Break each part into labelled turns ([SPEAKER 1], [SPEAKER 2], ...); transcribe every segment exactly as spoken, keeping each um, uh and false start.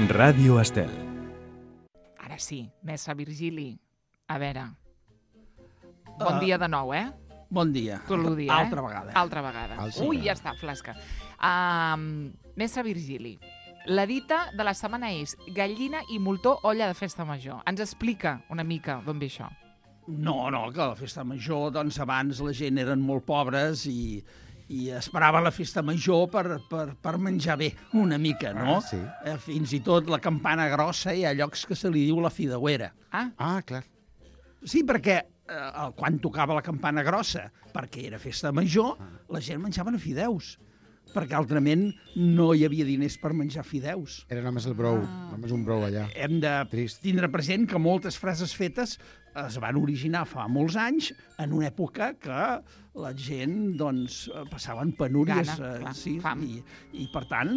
[SPEAKER 1] Ràdio Estel.
[SPEAKER 2] Ara sí, Messa Virgili. A veure... Bon
[SPEAKER 3] Uh,
[SPEAKER 2] dia de nou, eh?
[SPEAKER 3] Bon dia.
[SPEAKER 2] Tot el dia,
[SPEAKER 3] Altra
[SPEAKER 2] eh?
[SPEAKER 3] vegada.
[SPEAKER 2] Altra vegada.
[SPEAKER 4] Altra
[SPEAKER 2] Ui,
[SPEAKER 4] vegada.
[SPEAKER 2] ja està, flasca. Um, Messa Virgili. La dita de la setmana és gallina i moltó, olla de festa major. Ens explica una mica d'on ve això.
[SPEAKER 3] No, no, que a la festa major, doncs abans la gent eren molt pobres i, i esperava la festa major per, per, per menjar bé una mica, no?
[SPEAKER 4] Ah, sí.
[SPEAKER 3] Eh, fins i tot la campana grossa hi ha llocs que se li diu la fideuera.
[SPEAKER 2] Ah,
[SPEAKER 4] Ah, clar.
[SPEAKER 3] Sí, perquè eh, quan tocava la campana grossa, perquè era festa major, la gent menjaven a fideus, perquè altrament no hi havia diners per menjar fideus.
[SPEAKER 4] Era només el brou,
[SPEAKER 2] Ah.
[SPEAKER 4] només un brou allà.
[SPEAKER 3] Hem de
[SPEAKER 4] Trist.
[SPEAKER 3] tindre present que moltes frases fetes es van originar fa molts anys en una època que la gent doncs, passaven penúries.
[SPEAKER 2] Gana, clar,
[SPEAKER 3] sí,
[SPEAKER 2] fam.
[SPEAKER 3] i, I, per tant,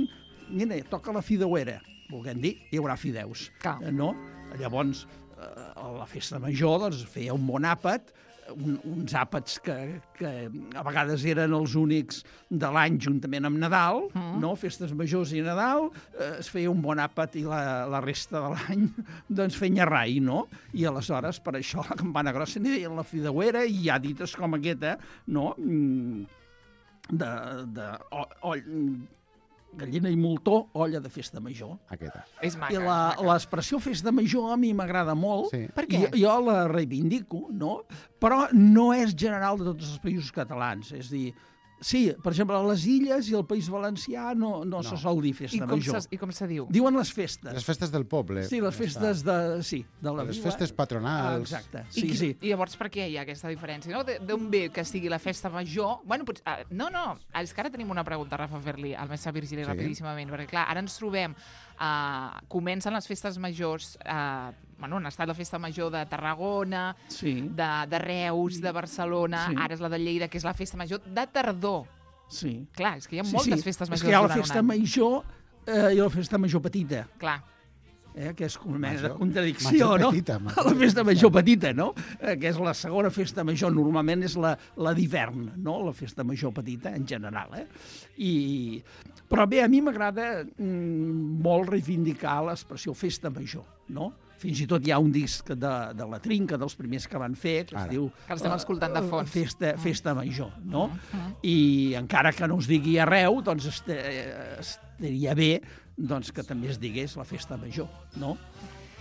[SPEAKER 3] mira, toca la fideuera, volguem dir, hi haurà fideus.
[SPEAKER 2] Clar.
[SPEAKER 3] Eh, No? Llavors, eh, a la festa major doncs, feia un bon àpat, un, uns àpats que, que a vegades eren els únics de l'any juntament amb Nadal,
[SPEAKER 2] Mm.
[SPEAKER 3] no? Festes majors i Nadal, eh, es feia un bon àpat i la, la resta de l'any doncs feia rai, no? I aleshores per això la campana grossa n'hi deien la fideuera i hi ha dites com aquesta, no? Mm, de, de o, o, gallina i moltó, olla de festa major.
[SPEAKER 4] Aquesta.
[SPEAKER 2] és maca.
[SPEAKER 3] I la-
[SPEAKER 2] maca.
[SPEAKER 3] l'expressió festa major a mi m'agrada molt.
[SPEAKER 4] Sí.
[SPEAKER 2] Per què?
[SPEAKER 3] I jo la reivindico, no? Però no és general de tots els països catalans. És a dir, sí, per exemple, a les Illes i al País Valencià no, no, no. se sol dir
[SPEAKER 2] I
[SPEAKER 3] festa
[SPEAKER 2] com,
[SPEAKER 3] major.
[SPEAKER 2] se, I com se diu?
[SPEAKER 3] Diuen les festes.
[SPEAKER 4] Les festes del poble.
[SPEAKER 3] Sí, les festes de, sí, de la
[SPEAKER 4] Les
[SPEAKER 3] vila.
[SPEAKER 4] festes
[SPEAKER 3] Ah,
[SPEAKER 4] patronals.
[SPEAKER 3] exacte,
[SPEAKER 2] I,
[SPEAKER 3] sí,
[SPEAKER 2] qui-
[SPEAKER 3] sí.
[SPEAKER 2] I llavors per què hi ha aquesta diferència? No? De- D'on ve que sigui la festa major? Bueno, potser, ah, no, no, és que ara tenim una pregunta, Rafa, a fer-li al Messa Virgili
[SPEAKER 4] Sí.
[SPEAKER 2] rapidíssimament, perquè clar, ara ens trobem, uh, comencen les festes majors, uh, bueno, han estat la festa major de Tarragona,
[SPEAKER 3] Sí,
[SPEAKER 2] de, de Reus, de Barcelona,
[SPEAKER 3] Sí.
[SPEAKER 2] ara és la de Lleida, que és la festa major de tardor.
[SPEAKER 3] sí.
[SPEAKER 2] Clar, és que hi ha
[SPEAKER 3] sí,
[SPEAKER 2] moltes
[SPEAKER 3] sí.
[SPEAKER 2] festes
[SPEAKER 3] És
[SPEAKER 2] majors
[SPEAKER 3] que hi ha la
[SPEAKER 2] durant un
[SPEAKER 3] festa
[SPEAKER 2] any.
[SPEAKER 3] major eh, i la festa major petita.
[SPEAKER 2] Clar,
[SPEAKER 3] Eh, que és una mena de
[SPEAKER 4] Major-
[SPEAKER 3] contradicció,
[SPEAKER 4] major
[SPEAKER 3] no?
[SPEAKER 4] petita, major
[SPEAKER 3] la festa
[SPEAKER 4] petita.
[SPEAKER 3] major petita, no? Eh, que és la segona festa major, normalment és la, la d'hivern, no? La festa major petita, en general, eh? I... Però bé, a mi m'agrada mm, molt reivindicar l'expressió festa major, no? Fins i tot hi ha un disc de, de la Trinca, dels primers que van fer, que
[SPEAKER 4] Ara.
[SPEAKER 3] es diu...
[SPEAKER 2] Que l'estem escoltant de
[SPEAKER 3] eh,
[SPEAKER 2] fons.
[SPEAKER 3] Festa, festa major, no?
[SPEAKER 2] Mm.
[SPEAKER 3] I encara que no es digui arreu, doncs est estaria bé doncs, que també es digués la festa major, no?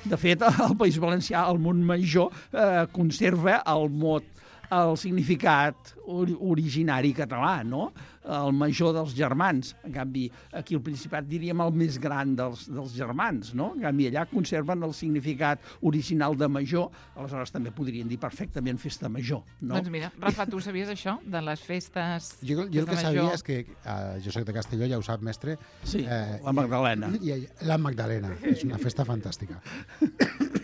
[SPEAKER 3] De fet, al País Valencià, el Montmajor eh, conserva el mot, el significat ori originari català, no? El major dels germans. En canvi, aquí al Principat diríem el més gran dels, dels germans, no? En canvi, allà conserven el significat original de major, aleshores també podrien dir perfectament festa major, no?
[SPEAKER 2] doncs mira, Rafa, tu sabies això, de les festes...
[SPEAKER 4] Jo, jo el que
[SPEAKER 2] festa
[SPEAKER 4] sabia
[SPEAKER 2] major?
[SPEAKER 4] és que, uh, jo soc de Castelló, ja ho sap, mestre,
[SPEAKER 3] Sí,
[SPEAKER 4] Eh,
[SPEAKER 3] la Magdalena.
[SPEAKER 4] i allà, la Magdalena, és una festa fantàstica.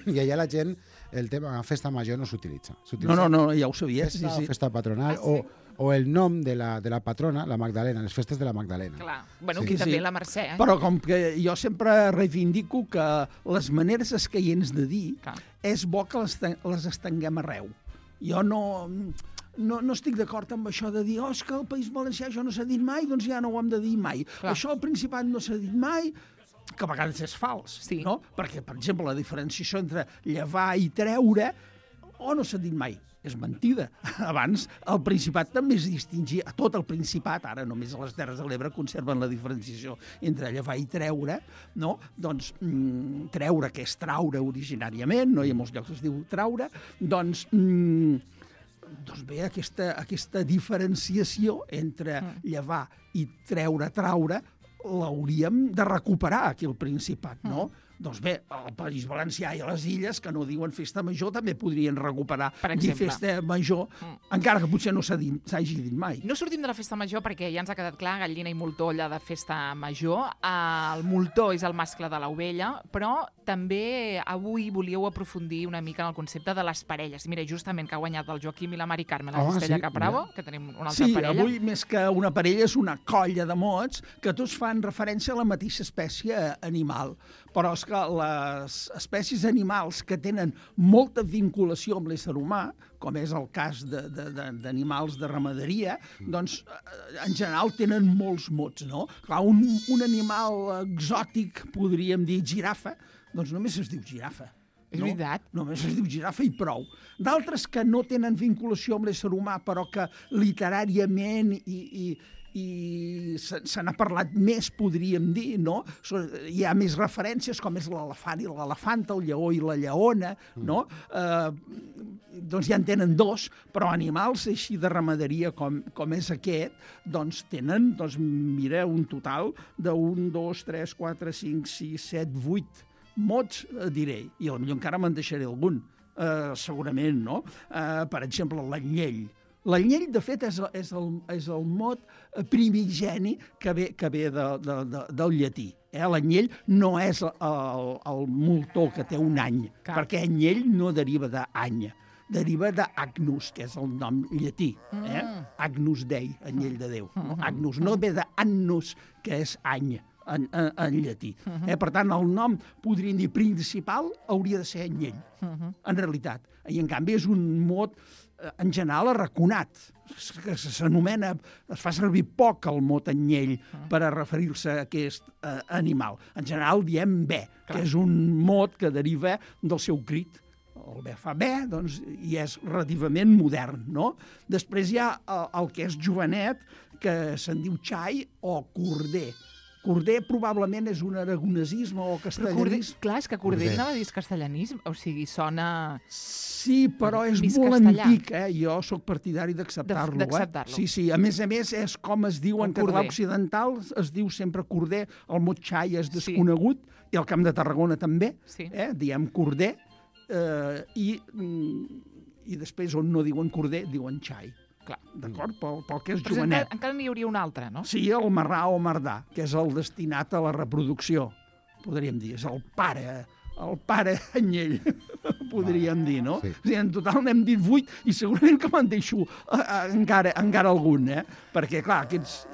[SPEAKER 4] I allà la gent, el tema festa major no s'utilitza.
[SPEAKER 3] No, no, no, ja ho sabies.
[SPEAKER 4] Festa,
[SPEAKER 3] Sí, sí.
[SPEAKER 4] festa patronal,
[SPEAKER 2] Ah, sí?
[SPEAKER 4] o, o el nom de la, de la patrona, la Magdalena, les festes de la Magdalena.
[SPEAKER 2] Clar, bueno,
[SPEAKER 4] Sí.
[SPEAKER 2] aquí
[SPEAKER 3] Sí,
[SPEAKER 2] també
[SPEAKER 3] sí.
[SPEAKER 2] la Mercè, eh?
[SPEAKER 3] Però com que jo sempre reivindico que les maneres escaients de dir
[SPEAKER 2] Clar.
[SPEAKER 3] és bo que les, ten- les estenguem arreu. Jo no, no, no estic d'acord amb això de dir oh, és que al País Valencià això no s'ha dit mai, doncs ja no ho hem de dir mai.
[SPEAKER 2] Clar.
[SPEAKER 3] Això al Principat no s'ha dit mai, que a vegades és fals,
[SPEAKER 2] Sí.
[SPEAKER 3] no? Perquè, per exemple, la diferenciació entre llevar i treure, o no s'ha dit mai, és mentida. Abans, el Principat també es distingia, a tot el Principat, ara només a les Terres de l'Ebre conserven la diferenciació entre llevar i treure, no? Doncs mm, treure, que és traure originàriament, no? I a molts llocs es diu traure, doncs... Mm, doncs bé, aquesta, aquesta diferenciació entre llevar i treure, traure, l'hauríem de recuperar aquí al Principat, no? Mm. Doncs bé, al País Valencià i a les Illes, que no diuen festa major, també podrien recuperar
[SPEAKER 2] Per
[SPEAKER 3] dir
[SPEAKER 2] exemple.
[SPEAKER 3] festa major,
[SPEAKER 2] Mm.
[SPEAKER 3] encara que potser no s'ha dit- s'hagi dit mai.
[SPEAKER 2] No sortim de la festa major perquè ja ens ha quedat clar, gallina i moltó, olla de festa major. El moltó és el mascle de l'ovella, però també avui volíeu aprofundir una mica en el concepte de les parelles. Mira, justament que ha guanyat el Joaquim i la Mari Carme, la
[SPEAKER 4] Ah,
[SPEAKER 2] Cistella
[SPEAKER 4] sí,
[SPEAKER 2] Capravo,
[SPEAKER 4] mira.
[SPEAKER 2] que tenim una altra
[SPEAKER 3] Sí,
[SPEAKER 2] parella.
[SPEAKER 3] avui més que una parella és una colla de mots que tots fan referència a la mateixa espècie animal. però és que les espècies animals que tenen molta vinculació amb l'ésser humà, com és el cas d'animals de, de, de ramaderia, doncs en general tenen molts mots, no? Clar, un, un animal exòtic, podríem dir girafa, doncs només es diu girafa.
[SPEAKER 2] És
[SPEAKER 3] no?
[SPEAKER 2] veritat.
[SPEAKER 3] Només es diu girafa i prou. D'altres que no tenen vinculació amb l'ésser humà, però que literàriament i, i, i se, se n'ha parlat més, podríem dir, no? Hi ha més referències, com és l'elefant i l'elefanta, el lleó i la lleona, no? Eh, doncs ja en tenen dos, però animals així de ramaderia com, com és aquest, doncs tenen, doncs mira, un total d'un, dos, tres, quatre, cinc, sis, set, vuit mots, eh, diré, i potser encara me'n deixaré algun, eh, segurament, no? Eh, per exemple, l'anyell. L'anyell, de fet, és, és, el, és el mot primigeni que ve, que ve de, de, de, del llatí. Eh? L'anyell no és el, el moltó que té un any, Clar. perquè anyell no deriva d'any, deriva d'Agnus, que és el nom llatí. Eh? Mm. Agnus Dei, anyell de Déu. No? Agnus no ve d'annus, que és any, en, en, en llatí. Eh? Per tant, el nom, podríem dir, principal hauria de ser anyell, en realitat. I, en canvi, és un mot en general arraconat, que s'anomena, es fa servir poc el mot anyell per a referir-se a aquest eh, animal. En general diem bé, que és un mot que deriva del seu crit. El bé fa bé, doncs, i és relativament modern, no? Després hi ha el, el que és jovenet, que se'n diu xai o corder. Corder probablement és un aragonesisme o castellanisme.
[SPEAKER 2] Corder, clar, és que Corder anava a dir castellanisme, o sigui, sona...
[SPEAKER 3] Sí, però és
[SPEAKER 2] Mig
[SPEAKER 3] molt
[SPEAKER 2] castellà.
[SPEAKER 3] antic, eh? Jo sóc partidari d'acceptar-lo.
[SPEAKER 2] D'acceptar-lo.
[SPEAKER 3] Eh? Sí, sí. A més a més, és com es diu en català occidental, es diu sempre corder, el mot xai és desconegut, sí. I al Camp de Tarragona també, sí. eh? Diem corder, eh, i, i després on no diuen corder, diuen xai.
[SPEAKER 2] Clar.
[SPEAKER 3] D'acord? Pel, pel que és
[SPEAKER 2] Però
[SPEAKER 3] jovenet.
[SPEAKER 2] Encara, encara n'hi hauria un altre, no?
[SPEAKER 3] Sí, el marrà o mardà, que és el destinat a la reproducció, podríem dir. És el pare, el pare anyell, podríem dir, no?
[SPEAKER 4] Sí.
[SPEAKER 3] O sigui, en total n'hem dit vuit i segurament que me'n deixo uh, encara, encara algun, eh? Perquè, clar, aquests...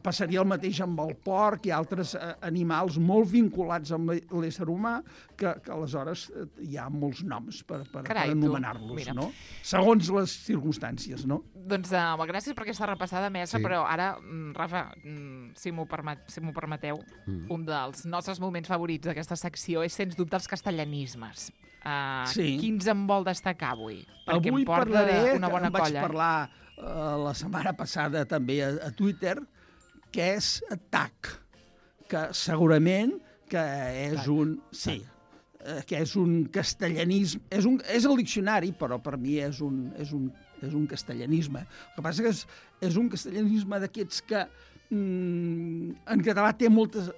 [SPEAKER 3] passaria el mateix amb el porc i altres eh, animals molt vinculats amb l'ésser humà, que, que aleshores eh, hi ha molts noms per, per,
[SPEAKER 2] Carai,
[SPEAKER 3] per anomenar-los,
[SPEAKER 2] tu,
[SPEAKER 3] no? Segons les circumstàncies, no?
[SPEAKER 2] Doncs uh, gràcies per aquesta repassada, mestre,
[SPEAKER 4] Sí.
[SPEAKER 2] però ara, mm, Rafa, mm, si m'ho permet, si m'ho permeteu, mm. un dels nostres moments favorits d'aquesta secció és, sens dubte, els castellanismes. Uh,
[SPEAKER 3] Sí.
[SPEAKER 2] Quins en vol destacar avui? Perquè
[SPEAKER 3] Avui
[SPEAKER 2] em porta
[SPEAKER 3] parlaré,
[SPEAKER 2] una bona
[SPEAKER 3] que en vaig
[SPEAKER 2] colla.
[SPEAKER 3] parlar uh, la setmana passada també a, a Twitter, que és T A C, que segurament que és
[SPEAKER 4] Tac.
[SPEAKER 3] un... Sí, eh, que és un castellanisme... És, un, és el diccionari, però per mi és un, és un, és un castellanisme. El que passa que és, és un castellanisme d'aquests que mm, en català té moltes...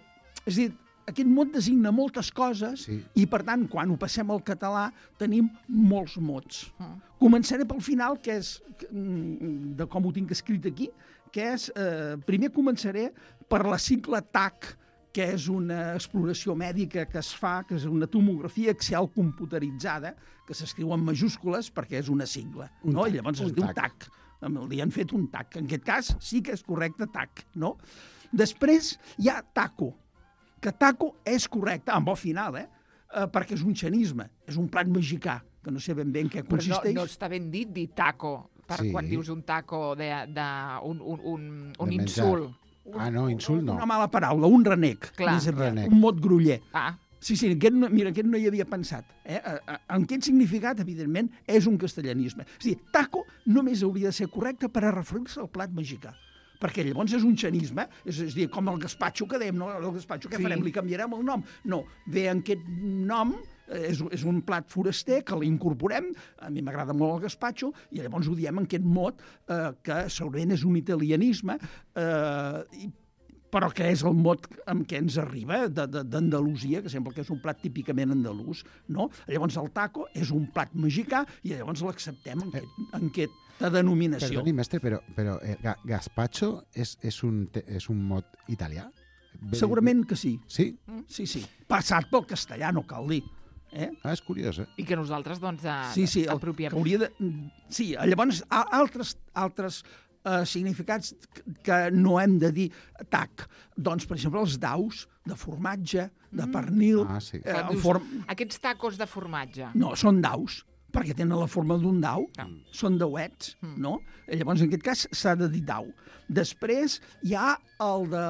[SPEAKER 3] És a dir, aquest mot designa moltes coses,
[SPEAKER 4] Sí.
[SPEAKER 3] i, per tant, quan ho passem al català, tenim molts mots.
[SPEAKER 2] Mm.
[SPEAKER 3] Començaré pel final, que és mm, de com ho tinc escrit aquí, que és, eh, primer començaré per la sigla T A C, que és una exploració mèdica que es fa, que és una tomografia axial computeritzada, que s'escriu en majúscules perquè és una sigla,
[SPEAKER 4] Un
[SPEAKER 3] no?
[SPEAKER 4] tac,
[SPEAKER 3] I llavors es
[SPEAKER 4] un
[SPEAKER 3] diu
[SPEAKER 4] tac.
[SPEAKER 3] T A C. Li han fet un T A C. En aquest cas sí que és correcte T A C, no? Després hi ha taco, que taco és correcte, amb o final, eh? eh? Perquè és un xenisme, és un plat mexicà, que no sé ben bé en què
[SPEAKER 2] Però
[SPEAKER 3] consisteix.
[SPEAKER 2] no, no està ben dit dir taco, per
[SPEAKER 4] Sí.
[SPEAKER 2] quan dius un taco de, de un, un, un, un
[SPEAKER 4] De menjar.
[SPEAKER 2] insult.
[SPEAKER 4] Ah, no, insult no.
[SPEAKER 3] Una mala paraula, un renec.
[SPEAKER 2] Clar.
[SPEAKER 3] Més aviat,
[SPEAKER 4] Renec.
[SPEAKER 3] un mot groller.
[SPEAKER 2] Ah,
[SPEAKER 3] Sí, sí, aquest no, mira, aquest no hi havia pensat. Eh? Eh, eh, En aquest significat, evidentment, és un castellanisme. És a dir, taco només hauria de ser correcte per a referir-se al plat mexicà. Perquè llavors és un xenisme, és, és a dir, com el gaspatxo que dèiem, no? El gaspatxo, què
[SPEAKER 2] Sí.
[SPEAKER 3] farem? Li canviarem el nom? No, ve en aquest nom, eh, és, és un plat foraster que l'incorporem, a mi m'agrada molt el gaspatxo, i llavors ho diem en aquest mot, eh, que segurament és un italianisme, eh, i però que és el mot amb què ens arriba de- de- d'Andalusia, que sembla que és un plat típicament andalús, no? Llavors el taco és un plat mexicà i llavors l'acceptem en, aquest, en aquesta denominació.
[SPEAKER 4] Perdoni, mestre, però, però eh, ga- gazpacho és, és, un, te- és un mot italià? Ve-
[SPEAKER 3] Segurament que sí,
[SPEAKER 4] Sí?
[SPEAKER 3] sí, sí. Passat pel castellà, no cal dir. Eh?
[SPEAKER 4] Ah, és curiós, eh?
[SPEAKER 2] i que nosaltres, doncs, eh,
[SPEAKER 3] Sí, sí, el,
[SPEAKER 2] apropiem.
[SPEAKER 3] que hauria de... Sí, llavors a- altres, altres eh, significats que no hem de dir tac. Doncs, per exemple, els daus de formatge, de pernil...
[SPEAKER 4] Ah, sí.
[SPEAKER 3] eh,
[SPEAKER 2] Quan dius,
[SPEAKER 3] form...
[SPEAKER 2] Aquests tacos de formatge.
[SPEAKER 3] No, són daus, perquè tenen la forma d'un dau,
[SPEAKER 2] Ah.
[SPEAKER 3] són dauets,
[SPEAKER 2] Mm.
[SPEAKER 3] no? Llavors, en aquest cas, s'ha de dir dau. Després hi ha el de...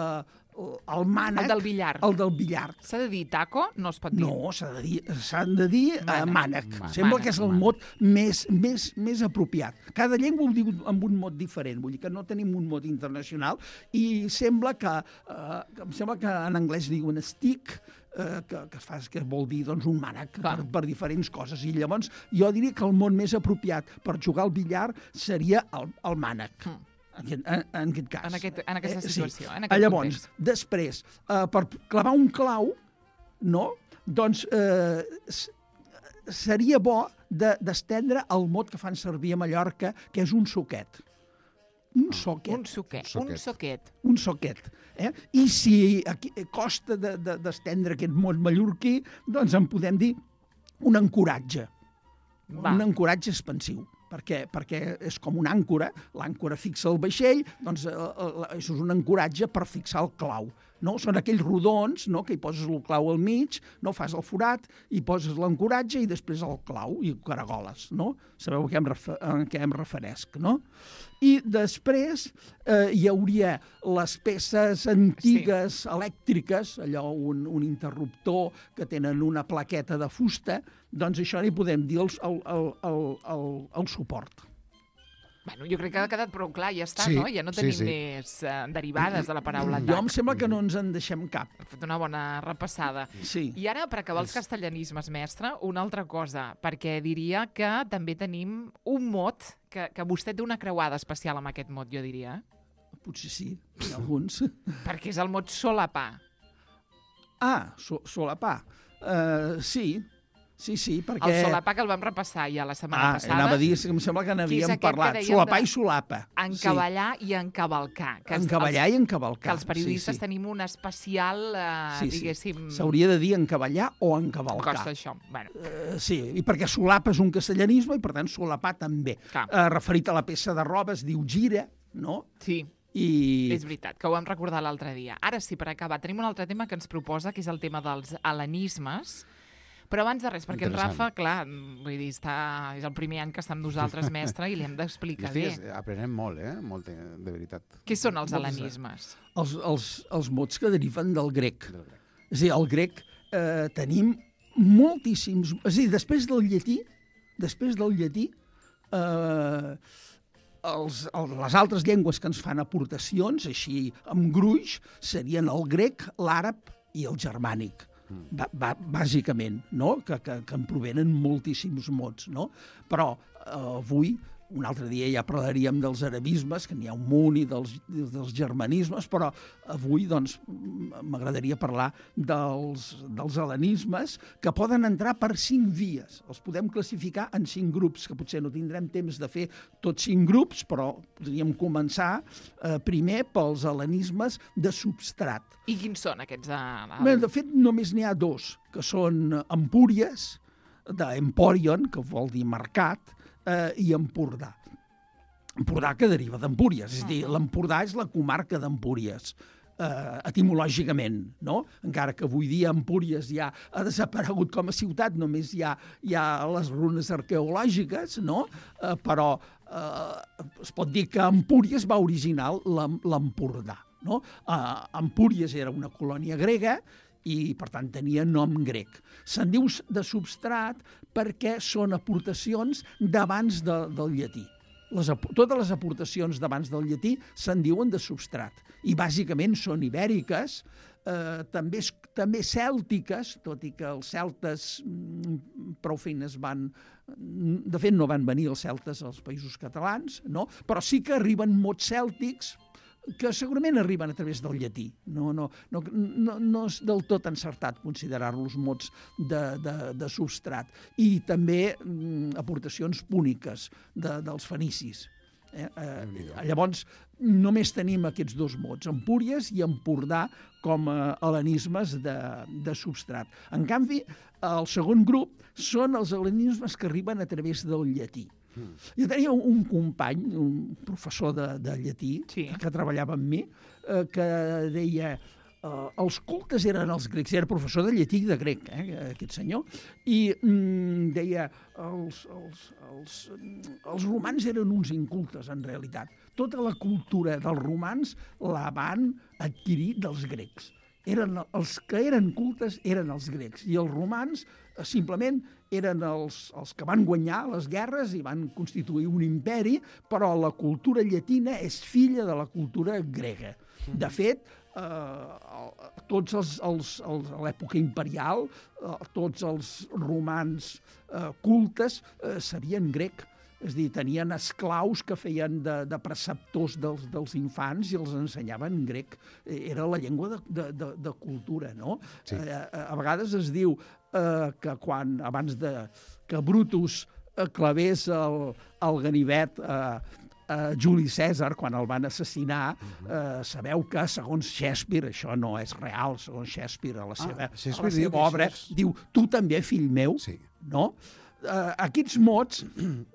[SPEAKER 3] el mànec...
[SPEAKER 2] El del billar.
[SPEAKER 3] El del billar.
[SPEAKER 2] S'ha de dir taco? No es pot dir.
[SPEAKER 3] No, s'ha de dir, s'han de dir eh,
[SPEAKER 2] Mànec.
[SPEAKER 3] mànec.
[SPEAKER 4] Mànec.
[SPEAKER 3] Sembla
[SPEAKER 2] Mànec.
[SPEAKER 3] que és el
[SPEAKER 4] Mànec.
[SPEAKER 3] mot més, més, més apropiat. Cada llengua ho diu amb un mot diferent, vull dir que no tenim un mot internacional i sembla que, eh, que em sembla que en anglès diuen stick, eh, que, que, fa, que vol dir doncs, un mànec per,
[SPEAKER 2] Clar.
[SPEAKER 3] per diferents coses. I llavors jo diria que el mot més apropiat per jugar al billar seria el, el mànec.
[SPEAKER 2] Mm.
[SPEAKER 3] En aquest, en, en aquest cas.
[SPEAKER 2] En aquest- en aquesta
[SPEAKER 3] Eh,
[SPEAKER 2] situació,
[SPEAKER 3] sí.
[SPEAKER 2] en aquest
[SPEAKER 3] Llavors,
[SPEAKER 2] context.
[SPEAKER 3] després, eh, per clavar un clau, no? Doncs eh, s- seria bo de- d'estendre el mot que fan servir a Mallorca, que és un soquet. Un soquet.
[SPEAKER 2] Un suquet.
[SPEAKER 4] Un
[SPEAKER 2] Un
[SPEAKER 4] soquet.
[SPEAKER 2] soquet.
[SPEAKER 3] Un soquet. Eh? I si aquí costa d'estendre de, de, aquest mot mallorquí, doncs en podem dir un ancoratge.
[SPEAKER 2] Va.
[SPEAKER 3] Un ancoratge expansiu, perquè, perquè és com una àncora, l'àncora fixa el vaixell, doncs eh, eh, això és un ancoratge per fixar el clau. No? Són aquells rodons, no? Que hi poses el clau al mig, no fas el forat, hi poses l'ancoratge i després el clau i caragoles. No? Sabeu a què em, refer a què em referesc, no? I després eh, hi hauria les peces antigues, sí. elèctriques, allò, un, un interruptor que tenen una plaqueta de fusta, doncs això n'hi podem dir el, el, el, el, el, el suport.
[SPEAKER 2] Bueno, jo crec que ha quedat prou clar, ja està,
[SPEAKER 4] Sí,
[SPEAKER 2] no? Ja no
[SPEAKER 4] sí,
[SPEAKER 2] tenim
[SPEAKER 4] sí.
[SPEAKER 2] més eh, derivades de la paraula
[SPEAKER 3] Jo
[SPEAKER 2] tac.
[SPEAKER 3] em sembla que no ens en deixem cap.
[SPEAKER 2] Hem fet una bona repassada.
[SPEAKER 3] Sí.
[SPEAKER 2] I ara, per acabar els castellanismes, mestre, una altra cosa, perquè diria que també tenim un mot, que, que vostè té una creuada especial amb aquest mot, jo diria,
[SPEAKER 3] Potser sí, en alguns.
[SPEAKER 2] perquè és el mot solapar.
[SPEAKER 3] Ah, so, solapar. Uh, sí, sí, sí, perquè...
[SPEAKER 2] El solapar que el vam repassar ja la setmana
[SPEAKER 3] Ah,
[SPEAKER 2] passada.
[SPEAKER 3] anava a dir, em sembla que
[SPEAKER 2] Que és
[SPEAKER 3] n'havíem
[SPEAKER 2] aquest que
[SPEAKER 3] parlat.
[SPEAKER 2] dèiem
[SPEAKER 3] Solapar
[SPEAKER 2] de-
[SPEAKER 3] i solapa.
[SPEAKER 2] Encavallar i encavalcar.
[SPEAKER 3] Sí.
[SPEAKER 2] Que els-
[SPEAKER 3] Encavallar
[SPEAKER 2] els,
[SPEAKER 3] i encavalcar.
[SPEAKER 2] que els periodistes
[SPEAKER 3] sí, sí.
[SPEAKER 2] tenim un especial, eh,
[SPEAKER 3] Sí, sí.
[SPEAKER 2] diguéssim...
[SPEAKER 3] S'hauria de dir encavallar o encavalcar.
[SPEAKER 2] Costa això. Bueno,
[SPEAKER 3] Uh, sí, i perquè solapa és un castellanisme i per tant solapar també.
[SPEAKER 2] Clar.
[SPEAKER 3] Uh, referit a la peça de roba es diu gira, no?
[SPEAKER 2] sí,
[SPEAKER 3] I...
[SPEAKER 2] és veritat, que ho vam recordar l'altre dia. Ara sí, per acabar, tenim un altre tema que ens proposa, que és el tema dels hel·lenismes. Però abans de res, perquè en
[SPEAKER 4] Interessant.
[SPEAKER 2] Rafa, clar, vull dir, està, és el primer any que està amb nosaltres, mestre, i li hem d'explicar bé.
[SPEAKER 4] Estic aprenem molt, eh? Molt, de de veritat.
[SPEAKER 2] Què són els
[SPEAKER 3] Moltes-
[SPEAKER 2] hel·lenismes?
[SPEAKER 3] Els, els, els mots que deriven del grec.
[SPEAKER 4] Del grec.
[SPEAKER 3] És a dir, el grec eh, tenim moltíssims... És a dir, després del llatí, després del llatí, eh, els, el, les altres llengües que ens fan aportacions, així amb gruix, serien el grec, l'àrab i el germànic. Ba, ba, bàsicament, no? que, que, que en provenen moltíssims mots. No? Però eh, avui, un altre dia ja parlaríem dels arabismes, que n'hi ha un munt, i dels, dels germanismes, però avui doncs, m'agradaria parlar dels, dels hel·lenismes, que poden entrar per cinc vies. Els podem classificar en cinc grups, que potser no tindrem temps de fer tots cinc grups, però podríem començar eh, primer pels hel·lenismes de substrat.
[SPEAKER 2] I quins són aquests? Eh,
[SPEAKER 3] Bé, de fet, només n'hi ha dos, que són Empúries, d'Emporion, que vol dir mercat, eh, i Empordà. Empordà que deriva d'Empúries, és a dir, l'Empordà és la comarca d'Empúries, eh, etimològicament, no? Encara que avui dia Empúries ja ha desaparegut com a ciutat, només hi ha, hi ha les runes arqueològiques, no? Eh, però eh, es pot dir que Empúries va originar l'Em- l'Empordà, no? Eh, Empúries era una colònia grega i, per tant, tenia nom grec. Se'n diu de substrat perquè són aportacions d'abans de, del llatí. Les, totes les aportacions d'abans del llatí se'n diuen de substrat. I, bàsicament, són ibèriques, eh, també, també cèltiques, tot i que els celtes mm, prou feines van... De fet, no van venir els celtes als països catalans, no? Però sí que arriben mots cèltics que segurament arriben a través del llatí. No, no, no, no, no és del tot encertat considerar-los mots de, de, de substrat. I també mm, aportacions púniques de, dels fenicis. Eh? Eh, llavors, només tenim aquests dos mots, Empúries i Empordà, com a hel·lenismes de, de substrat. En canvi, el segon grup són els hel·lenismes que arriben a través del llatí. Mm. Jo tenia un, un company, un professor de, de llatí,
[SPEAKER 2] sí.
[SPEAKER 3] que, que treballava amb mi, eh, que deia... Uh, els cultes eren els grecs, era professor de llatí i de grec, eh, aquest senyor, i mm, deia els, els, els, els romans eren uns incultes, en realitat. Tota la cultura dels romans la van adquirir dels grecs. Eren, els que eren cultes eren els grecs, i els romans eh, simplement eren els, els que van guanyar les guerres i van constituir un imperi, però la cultura llatina és filla de la cultura grega. De fet, eh, tots els, els, els, a l'època imperial, eh, tots els romans eh, cultes eh, sabien grec. És a dir, tenien esclaus que feien de, de preceptors dels, dels infants i els ensenyaven grec. Era la llengua de, de, de, de cultura, no? Sí. Eh, a vegades es diu eh, que quan, abans de que Brutus eh, clavés el, el ganivet eh, Uh, Juli Cèsar, quan el van assassinar, uh, sabeu que, segons Shakespeare, això no és real, segons Shakespeare, a la seva, ah, a la seva obra, és... diu, tu també, fill meu, sí. No? Uh, aquests mots,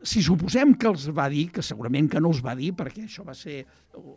[SPEAKER 3] si suposem que els va dir, que segurament que no els va dir, perquè això va ser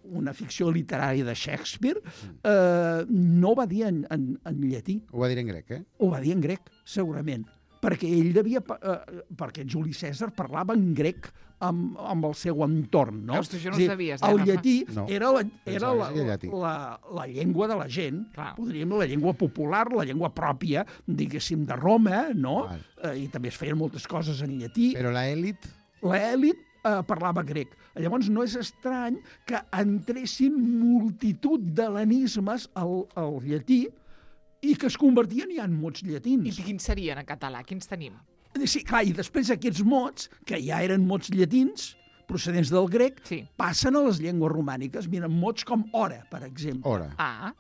[SPEAKER 3] una ficció literària de Shakespeare, uh, no ho va dir en, en, en llatí.
[SPEAKER 4] Ho va dir en grec, eh?
[SPEAKER 3] Ho va dir en grec, segurament. Perquè ell devia... Uh, perquè Juli Cèsar parlava en grec amb, amb el seu entorn, no?
[SPEAKER 2] Ostres, jo no ho sabies.
[SPEAKER 3] El llatí
[SPEAKER 4] no.
[SPEAKER 3] era, la, era la, la, la llengua de la gent,
[SPEAKER 2] clar.
[SPEAKER 3] Podríem la llengua popular, la llengua pròpia, diguéssim, de Roma, no? Eh, I també es feien moltes coses en llatí.
[SPEAKER 4] Però l'elit?
[SPEAKER 3] L'elit eh, parlava grec. Llavors no és estrany que entressin multitud d'hel·lenismes al, al llatí i que es convertien ja en mots llatins.
[SPEAKER 2] I quins serien en català? Quins tenim?
[SPEAKER 3] Sí, clar, i després aquests mots, que ja eren mots llatins, procedents del grec,
[SPEAKER 2] sí.
[SPEAKER 3] Passen a les llengües romàniques. Mira, mots com hora, per exemple.
[SPEAKER 4] Hora.
[SPEAKER 2] Ah.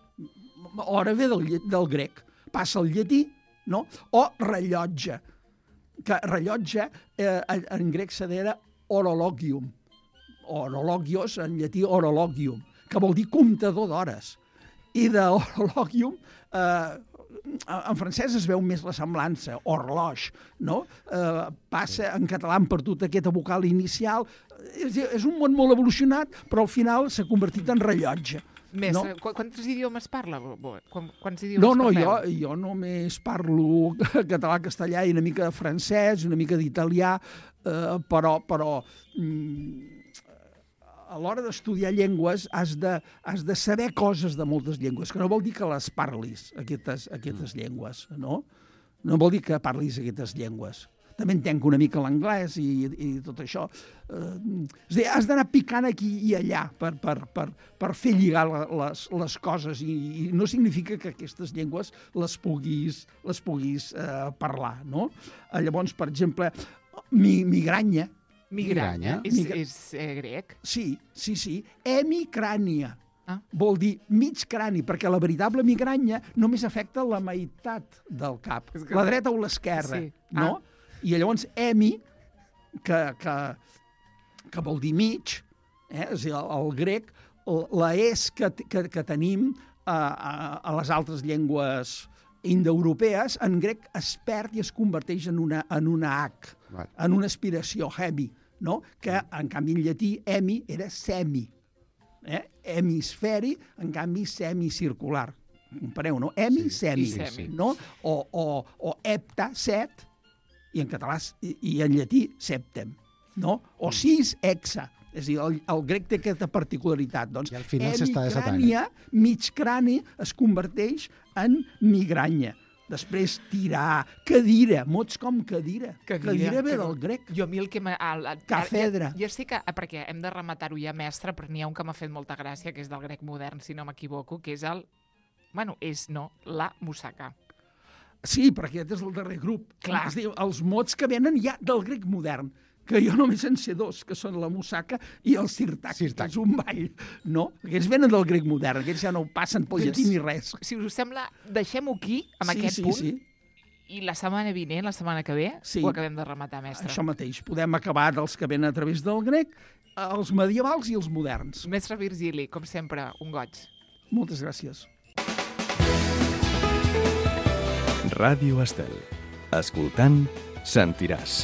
[SPEAKER 3] Hora ve del, del grec. Passa al llatí, no? O rellotge. Que rellotge, eh, en grec s'adera orologium. Orologios, en llatí orologium, que vol dir comptador d'hores. I d'orologium, eh, en francès es veu més la semblança, horloge, no? Eh, passa, en català han perdut aquesta vocal inicial. És, és un món molt evolucionat, però al final s'ha convertit en rellotge.
[SPEAKER 2] Més,
[SPEAKER 3] no?
[SPEAKER 2] Quants idiomes parla? Quants idiomes
[SPEAKER 3] no, no,
[SPEAKER 2] parleu?
[SPEAKER 3] jo, jo només parlo català, castellà i una mica de francès, una mica d'italià, eh, però, però mm, a l'hora d'estudiar llengües has de, has de saber coses de moltes llengües, que no vol dir que les parlis, aquestes, aquestes mm. llengües, no? No vol dir que parlis aquestes llengües. També entenc una mica l'anglès i, i tot això. Eh, és a dir, has d'anar picant aquí i allà per, per, per, per fer lligar les, les coses i, i no significa que aquestes llengües les puguis, les puguis eh, parlar, no? Eh, llavors, per exemple, mi, migranya,
[SPEAKER 2] Migranya? És, Migra... és eh, grec?
[SPEAKER 3] Sí, sí, sí. Hemicrània.
[SPEAKER 2] Ah.
[SPEAKER 3] Vol dir mig crani, perquè la veritable migranya només afecta la meitat del cap, que... la dreta o l'esquerra,
[SPEAKER 2] sí.
[SPEAKER 3] No? Ah. I llavors hemi, que, que, que vol dir mig, eh? És a dir, el, el grec, la es que, que, que tenim a, a, a les altres llengües indoeuropees, en grec es perd i es converteix en una, en una H, vale. En una aspiració, hemi, no? Que, en canvi, en llatí, hemi era semi. Eh? Hemisferi, en canvi, semicircular. Compareu, no? Hemi, sí, semi,
[SPEAKER 2] semi.
[SPEAKER 3] No? O, o, o hepta, set, i en català, i, i en llatí, septem, no? O sis, hexa. És a dir, el, el grec té aquesta particularitat. Doncs,
[SPEAKER 4] I al final s'està desatant.
[SPEAKER 3] Mig crani es converteix en migranya. Després, tirar, cadira, mots com cadira. Cadira, cadira ve del grec.
[SPEAKER 2] Jo a mi el que m'ha...
[SPEAKER 3] Cafedra.
[SPEAKER 2] Ja, ja sé que, perquè hem de rematar-ho ja, mestre, però n'hi ha un que m'ha fet molta gràcia, que és del grec modern, si no m'equivoco, que és el... Bueno, és, no, la musaca.
[SPEAKER 3] Sí, perquè aquest és el darrer grup.
[SPEAKER 2] Clar.
[SPEAKER 3] Es diu, els mots que venen ja del grec modern, que jo només en sé dos, que són la musaca i el sirtac,
[SPEAKER 4] sirtac.
[SPEAKER 3] Que és un ball, no? Aquests venen del grec modern, aquests ja no passen pel llatí ni res.
[SPEAKER 2] Si us sembla, deixem-ho aquí, amb
[SPEAKER 3] sí,
[SPEAKER 2] aquest
[SPEAKER 3] sí,
[SPEAKER 2] punt,
[SPEAKER 3] sí.
[SPEAKER 2] I la setmana vinent, la setmana que ve,
[SPEAKER 3] sí.
[SPEAKER 2] Ho acabem de rematar, mestre.
[SPEAKER 3] Això mateix, podem acabar dels que venen a través del grec, els medievals i els moderns.
[SPEAKER 2] Mestre Virgili, com sempre, un goig.
[SPEAKER 3] Moltes gràcies.
[SPEAKER 1] Ràdio Estel. Escoltant, sentiràs.